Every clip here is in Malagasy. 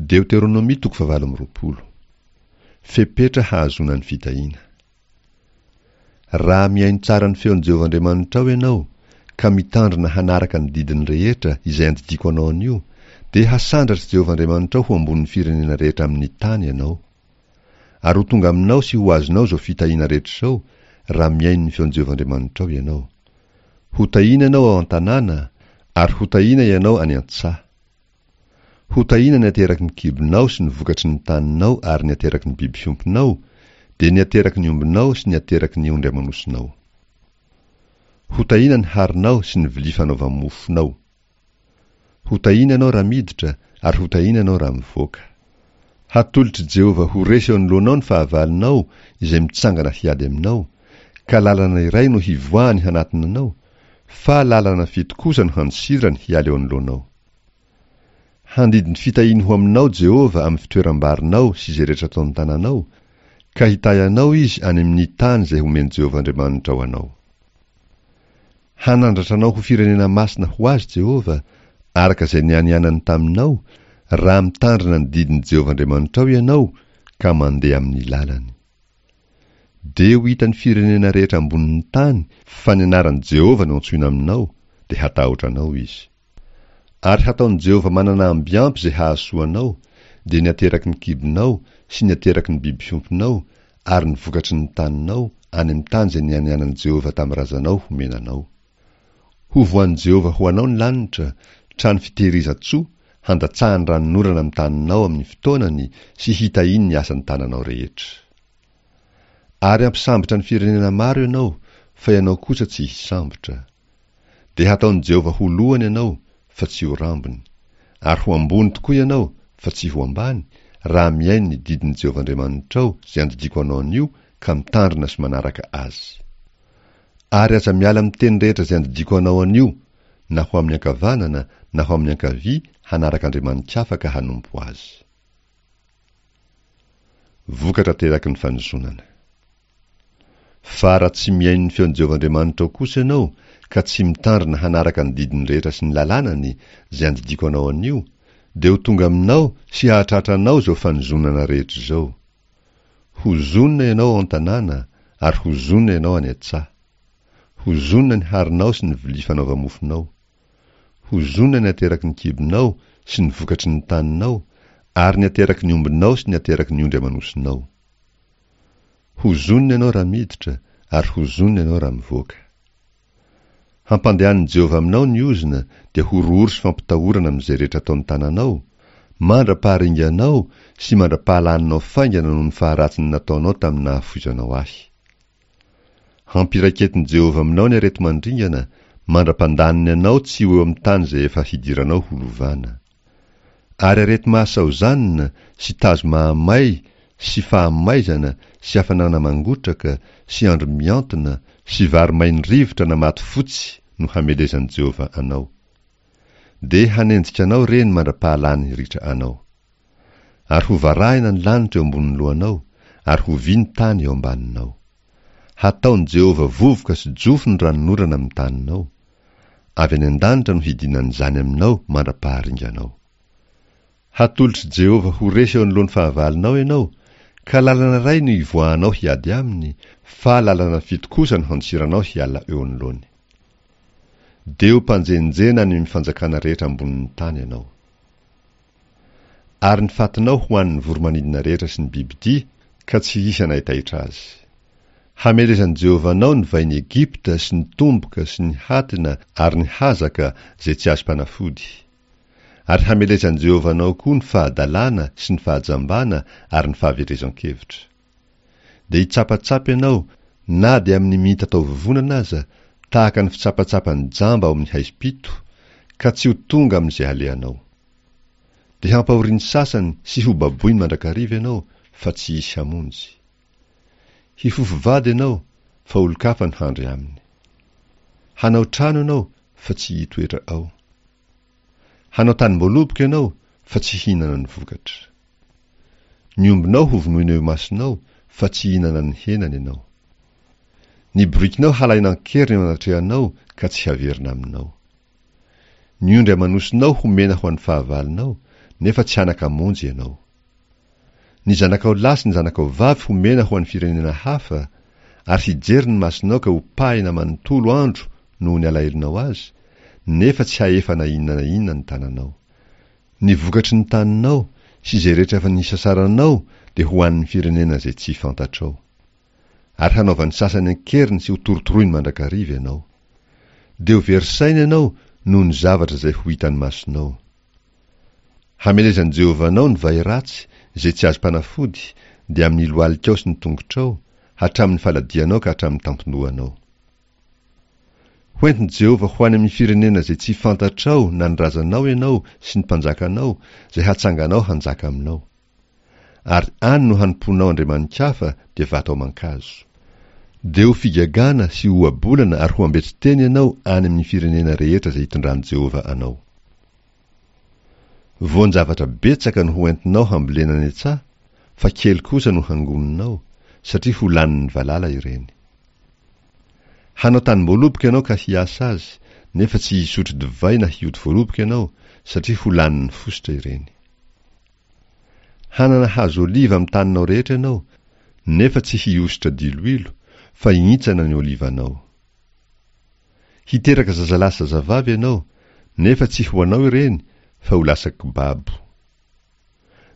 Deoteronomia toko fahavalo amby 20. Fepetra hahazoana ny fitahiana. Raha mihaino tsara ny feon'i Jehovah Andriamanitrao ianao, ka mitandrina hanaraka ny didiny rehetra izay andidiako anao anio, dia hasandratr'i Jehovah Andriamanitrao ho ambonin'ny firenena rehetra amin'ny tany ianao. Ary ho tonga aminao sy ho azonao izao fitahiana rehetra izao, raha mihaino ny feon'i Jehovah Andriamanitrao ianao. Hotahiana ianao ao an-tanàna, ary hotahiana ianao any an-tsaha. Hotahiana ny ateraky ny kibonao sy ny vokatry ny taninao ary ny ateraky ny biby fiompinao, dia ny ateraky ny ombinao sy ny ateraky ny ondry aman'osinao. Hotahiana ny harinao sy ny vilia fanaova-mofonao. Hotahiana ianao raha miditra ary hotahiana ianao raha mivoaka. Hatolotr'i Jehovah ho resy eo anoloanao ny fahavalonao izay mitsangana hiady aminao, ka lalana iray no hivoahany hanatona anao, fa lalana fito kosa no handosirany hiala eo anoloanao. Handidy ny fitahiany ho aminao Jehovah amin'ny fitoeram-barinao sy izay rehetra ataon'ny tananao, ka hitahy anao Izy any amin'ny tany izay homen'i Jehovah Andriamanitrao anao. Hanandratra anao ho firenena masina ho azy Jehovah, araka izay nianianany taminao, raha mitandrina ny didin'i Jehovah Andriamanitrao ianao ka mandeha amin'ny lalany. Dia ho hitan'ny firenena rehetra ambonin'ny tany fa ny anaran'i Jehovah no antsoina aminao, dia hatahotra anao izy. Ary hataon'i Jehovah manana amby ampy izay hahasoa anao, dia ny ateraky ny kibonao sy ny ateraky ny biby fiompinao ary ny vokatry ny taninao, any amin'ny tany izay nianianan'i Jehovah tamin'ny razanao homena anao. Hovohan'i Jehovah ho anao ny lanitra, trano fitehirizan-tsoa, handatsahany ranonorana amin'ny taninao amin'ny fotoanany sy hitahiany ny asan'ny tananao rehetra. Ary hampisambotra ny firenena maro ianao, fa ianao kosa tsy hisambotra. Dia hataon'i Jehovah ho lohany ianao, fa tsy ho rambony. Ary ho ambony tokoa ianao, fa tsy ho ambany, raha mihaino ny didin'i Jehovah Andriamanitrao izay andidiako anao anio ka mitandrina sy manaraka azy. Ary aza miala amin'ny teny rehetra izay andidiako anao anio, na ho amin'ny ankavanana na ho amin'ny ankavia hanaraka andriamani-kafa ka hanompo azy. Vokatra ateraky ny fanozonana. Fa raha tsy mihaino ny feon'i Jehovah Andriamanitrao kosa ianao, ka tsy mitandrina hanaraka ny didiny rehetra sy ny lalànany, izay andidiako anao anio, dia ho tonga aminao sy hahatratra anao izao fanozonana rehetra izao. Hozonina ianao ao an-tanàna, ary hozonina ianao any an-tsaha. Hozonina ny harinao sy ny vilia fanaova-mofonao. Hozonina ny ateraky ny kibonao sy ny vokatry ny taninao, ary ny ateraky ny ombinao sy ny ateraky ny ondry aman'osinao. Hozonina ianao raha miditra, ary hozonina ianao raha mivoaka. Hampandehanin'i Jehovah aminao ny ozona, dia horohoro sy fampitahorana amin'izay rehetra ataon'ny tananao, mandra-paharinganao sy mandra-pahalaninao faingana noho ny faharatsin'ny nataonao tamin'ny nahafoizanao ahy. Hampiraiketin'i Jehovah aminao ny areti-mandringana, mandra-pandaniny anao tsy ho eo amin'ny tany izay efa hidiranao ho lovana. Ary areti-mahasaozanina sy tazo mahamay sy fahamaizana sy hafanana mangotraka sy andro mihantona sy vary main'ny rivotra na maty fotsy no hamelezan'i Jehovah anao. Dia hanenjika anao ireny mandra-pahalany ritra anao. Ary ho varahina ny lanitra eo ambonin'ny lohanao, ary ho vy ny tany eo ambaninao. Hataon'i Jehovah vovoka sy jofo ny ranonorana amin'ny taninao. Avy any an-danitra no hidinan'izany aminao mandra-paharinganao. Hatolotr'i Jehovah ho resy eo anoloan'ny fahavalonao ianao, ka lalana iray no hivoahanao hiady aminy, fa lalana fito kosa no handosiranao hiala eo anoloany. Dia ho mpanjenjena any amin'ny fanjakana rehetra ambonin'ny tany ianao. Ary ny fatinao ho an'ny voro-manidina rehetra sy ny bibidia, ka tsy hisy hanaitaitra azy. Hamelezan'i Jehovah anao ny vain'i Egypta sy ny tomboka sy ny hatina ary ny hazaka izay tsy azom-panafody. Ary hamelezan'i Jehovah anao koa ny fahadalana sy ny fahajambana ary ny fahaverezan-kevitra. Dia hitsapatsapa ianao na dia amin'ny mitatao-vovonana aza, tahaka ny fitsapatsapan'ny jamba ao amin'ny haizim-pito, ka tsy ho tonga amin'izay halehanao. Dia hampahorian'ny sasany sy hobaboiny mandrakariva ianao, fa tsy hisy hamonjy. Hifofo vady ianao, fa olon-kafa no handry aminy. Hanao trano ianao, fa tsy hitoetra ao. Hanao tanim-boaloboka ianao, fa tsy hihinana ny vokatra. Ny ombinao hovonoina eo imasonao, fa tsy hihinana ny henany ianao. Ny borikinao halaina an-keriny eo anatrehanao, ka tsy haverina aminao. Ny ondry aman'osinao homena ho an'ny fahavalonao, nefa tsy hanan-kamonjy ianao. Ny zanakao lahy sy ny zanakao vavy homena ho an'ny firenena hafa, ary hijery ny masonao ka ho pahina manontolo andro noho ny alahelonao azy, nefa tsy hahefa na inona na inona ny tananao. Ny vokatry ny taninao sy izay rehetra efa nisasaranao dia ho an'ny firenena izay tsy fantatrao. Ary hanaovan'ny sasany an-keriny sy hotorotoroiny mandrakariva ianao. Dia ho very saina ianao noho ny zavatra izay ho hitan'ny masonao. Hamelezan'i Jehovah anao ny vay ratsy izay tsy azom-panafody, dia amin'ny lohalikao sy ny tongotrao, hatramin'ny faladianao ka hatramin'ny tampon-dohanao. Hoentin'i Jehovah ho any amin'ny firenena izay tsy fantatrao na ny razanao ianao sy ny mpanjakanao, izay hatsanganao hanjaka aminao. Ary any no hanompoanao andriamani-kafa, dia vato aman-kazo. Dia ho figagana sy ho ohabolana ary ho ambetsin-teny ianao any amin'ny firenena rehetra izay hitondran'i Jehovah anao. Voan-javatra betsaka no ho entinao hambolena any an-tsaha, fa kely kosa no hangoninao, satria ho lanin'ny valala ireny. Hanao tanim-boaloboka ianao ka hiasa azy, nefa tsy hisotro divay na hioty voaloboka ianao, satria ho lanin'ny fositra ireny. Hanana hazo oliva amin'ny taninao rehetra ianao, nefa tsy hihosotra diloilo, fa hihintsana ny olivanao. Hiteraka zazalahy sy zazavavy ianao, nefa tsy ho anao ireny, fa ho lasa kibabo.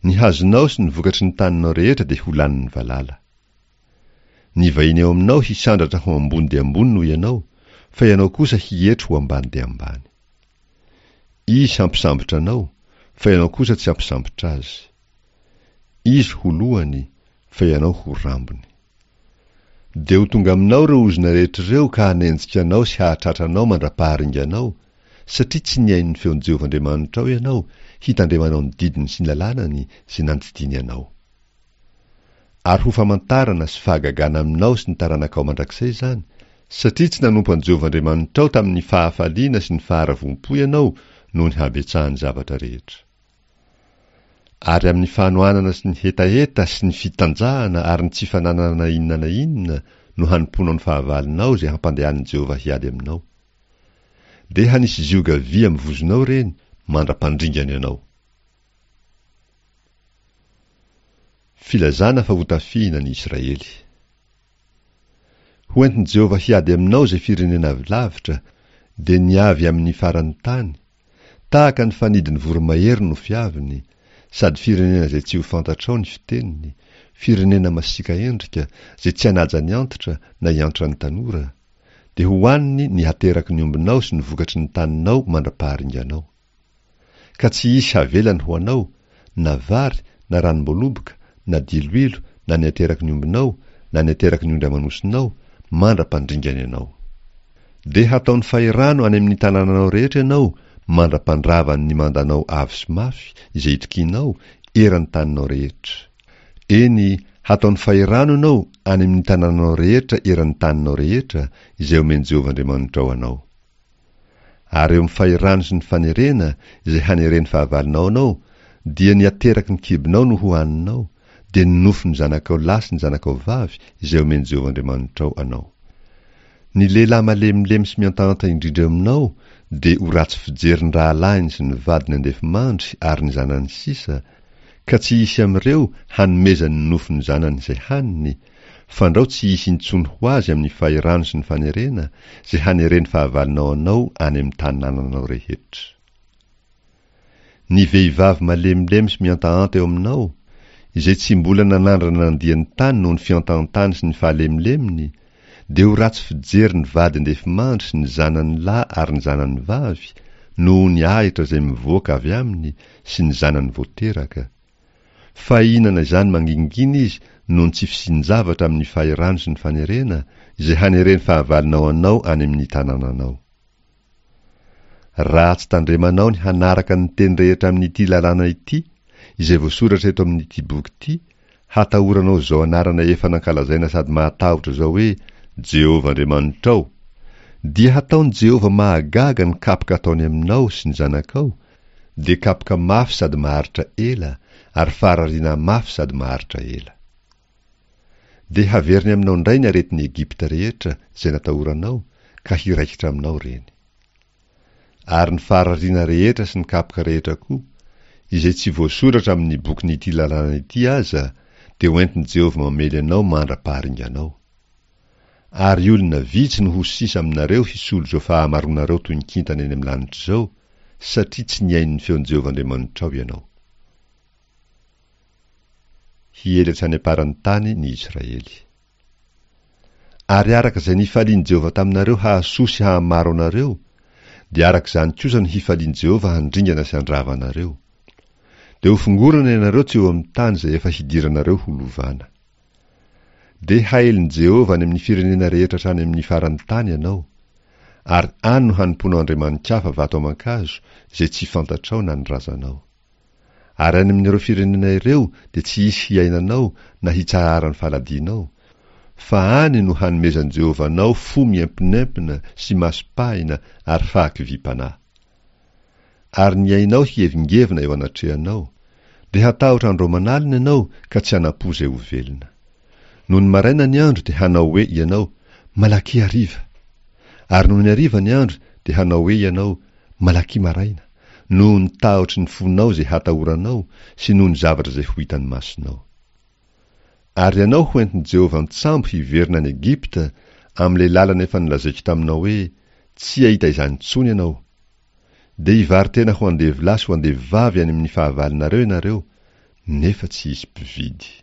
Ny hazonao sy ny vokatry ny taninao rehetra dia ho lanin'ny valala. Ny vahiny eo aminao hisandratra ho ambony dia ambony noho ianao, fa ianao kosa hietry ho ambany dia ambany. Izy hampisambotra anao, fa ianao kosa tsy hampisambotra azy. Izy ho lohany, fa ianao ho rambony. Dia ho tonga aminao ireo ozona rehetra ireo ka hanenjika anao sy hahatratra anao mandra-paharinganao, satria tsy nihaino ny feon'i Jehovah Andriamanitrao ianao hitandremanao ny didiny sy ny lalànany izay nandidiany anao. Ary ho famantarana sy fahagagana aminao sy ny taranakao mandrakizay izany, satria tsy nanompo an'i Jehovah Andriamanitrao tamin'ny fahafaliana sy ny faharavoam-po ianao noho ny habetsahan'ny zavatra rehetra. Ary amin'ny fanohanana sy ny hetaheta sy ny fitanjahana ary ny tsy fananana na inona na inona no hanompoanao ny fahavalonao izay hampandehanin'i Jehovah hiady aminao. Dia hanisy zioga vy amin'ny vozonao ireny mandra-pandringany anao. Filazana fa hotafihina ny Israely. Ho entin'i Jehovah hiady aminao izay firenena avy lavitra, dia ny avy amin'ny faran'ny tany, tahaka ny fanidin'ny voromahery no fiaviny, sady firenena izay tsy ho fantatrao ny fiteniny, firenena masiaka endrika, izay tsy hanaja ny antitra na hiantra ny tanora, dia hohaniny ny hateraky ny ombinao sy ny vokatry ny taninao mandra-paharinganao. Ka tsy hisy havelany ho anao, na vary, na ranom-boaloboka, na diloilo, na ny ateraky ny ombinao, na ny ateraky ny ondry aman'osinao, mandra-pandringany anao. Dia hataony fahirano any amin'ny tanànanao rehetra ianao, mandra-pandravany ny mandanao avo sy mafy, izay itokianao, eran'ny taninao rehetra. Eny, hataony fahirano ianao any amin'ny tanànanao rehetra eran'ny taninao rehetra, izay omen'i Jehovah Andriamanitrao anao. Ary eo amin'ny fahirano sy ny fanerena izay haneren'ny fahavalonao anao, dia ny ateraky ny kibonao no hohaninao, dia ny nofon'ny zanakao lahy sy ny zanakao vavy izay omen'i Jehovah Andriamanitrao anao. Ny lehilahy malemilemy sy mihantahanta indrindra eo aminao dia ho ratsy fijery ny rahalahiny sy ny vadiny andefimandry ary ny zanany sisa, ka tsy hisy amin'ireo hanomezany ny nofon'ny zanany izay haniny, fandrao tsy hisy intsony ho azy amin'ny fahirano sy ny fanerena izay haneren'ny fahavalonao anao any amin'ny tanànanao rehetra. Ny vehivavy malemilemy sy mihantahanta eo aminao, izay tsy mbola nanandrana nandia ny tany noho ny fihantahantany sy ny fahalemolemony, dia ho ratsy fijery ny vady andefimandry sy ny zanany lahy ary ny zanany vavy noho ny ahitra izay mivoaka avy aminy sy ny zanany vao teraka, Fa hihinana izany mangingina izy noho ny tsy fisian-javatra amin'ny fahirano sy ny fanerena, izay haneren'ny fahavalonao anao any amin'ny tanànanao. Raha tsy tandremanao ny hanaraka ny teny rehetra amin'ity lalàna ity, izay voasoratra eto amin'ity boky ity, hatahoranao izao anarana efa nankalazaina sady mahatahotra izao hoe Jehovah Andriamanitrao, dia hataon'i Jehovah mahagaga ny kapoka ataony aminao sy ny zanakao, dia kapoka mafy sady maharitra ela ary farariana mafy sady maharitra ela. Dia haveriny aminao indray ny aretin'i Egypta rehetra izay natahoranao ka hiraikitra aminao ireny. Ary ny farariana rehetra sy ny kapoka rehetra koa, izay tsy voasoratra amin'ny bokin'ity lalàna ity aza, dia hoentin'i Jehovah mamely anao mandra-paharinganao. Ary olona vitsy no ho sisa aminareo hisolo izao fahamaroanareo toy ny kintana eny amin'ny lanitra izao, satria tsy nihaino ny feon'i Jehovah Andriamanitrao ianao. Hiely hatrany am-paran'ny tany ny Israely. Ary araka izay nifalian'i Jehovah taminareo hahasoa sy hahamaro anareo, dia araka izany kosa no hifalian'i Jehovah handringana sy handrava anareo. Dia hofongorana ianareo tsy eo amin'ny tany izay efa hidiranareo ho lovana. Dia haelin'i Jehovah any amin'ny firenena rehetra hatrany amin'ny faran'ny tany ianao, ary any no hanompoanao andriamani-kafa vato aman-kazo izay tsy fantatrao na ny razanao. Ary any amin'ireo firenena ireo dia tsy hisy hiainanao na hitsaharan'ny faladianao, fa any no hanomezan'i Jehovah anao fo miemponempona sy maso pahina ary fahakiviam-panahy. Ary ny ainao hihevingevina eo anatrehanao, dia hatahotra andro aman'alina ianao ka tsy hanam-po izay ho velona. Nony maraina ny andro dia hanao hoe ianao, Malaky hariva! Ary nony hariva ny andro dia hanao hoe ianao, Malaky maraina! noho ny tahotry ny fonao izay hatahoranao sy noho ny zavatra izay ho hitan'ny masonao. Ary ianao ho entin'i Jehovah an-tsambo hiverina any Egypta, amin'ilay lalana efa nolazaiko taminao hoe, Tsy hahita izany intsony ianao. Dia hivaro-tena ho andevolahy sy ho andevovavy any amin'ny fahavalonareo ianareo, nefa tsy hisy mpividy.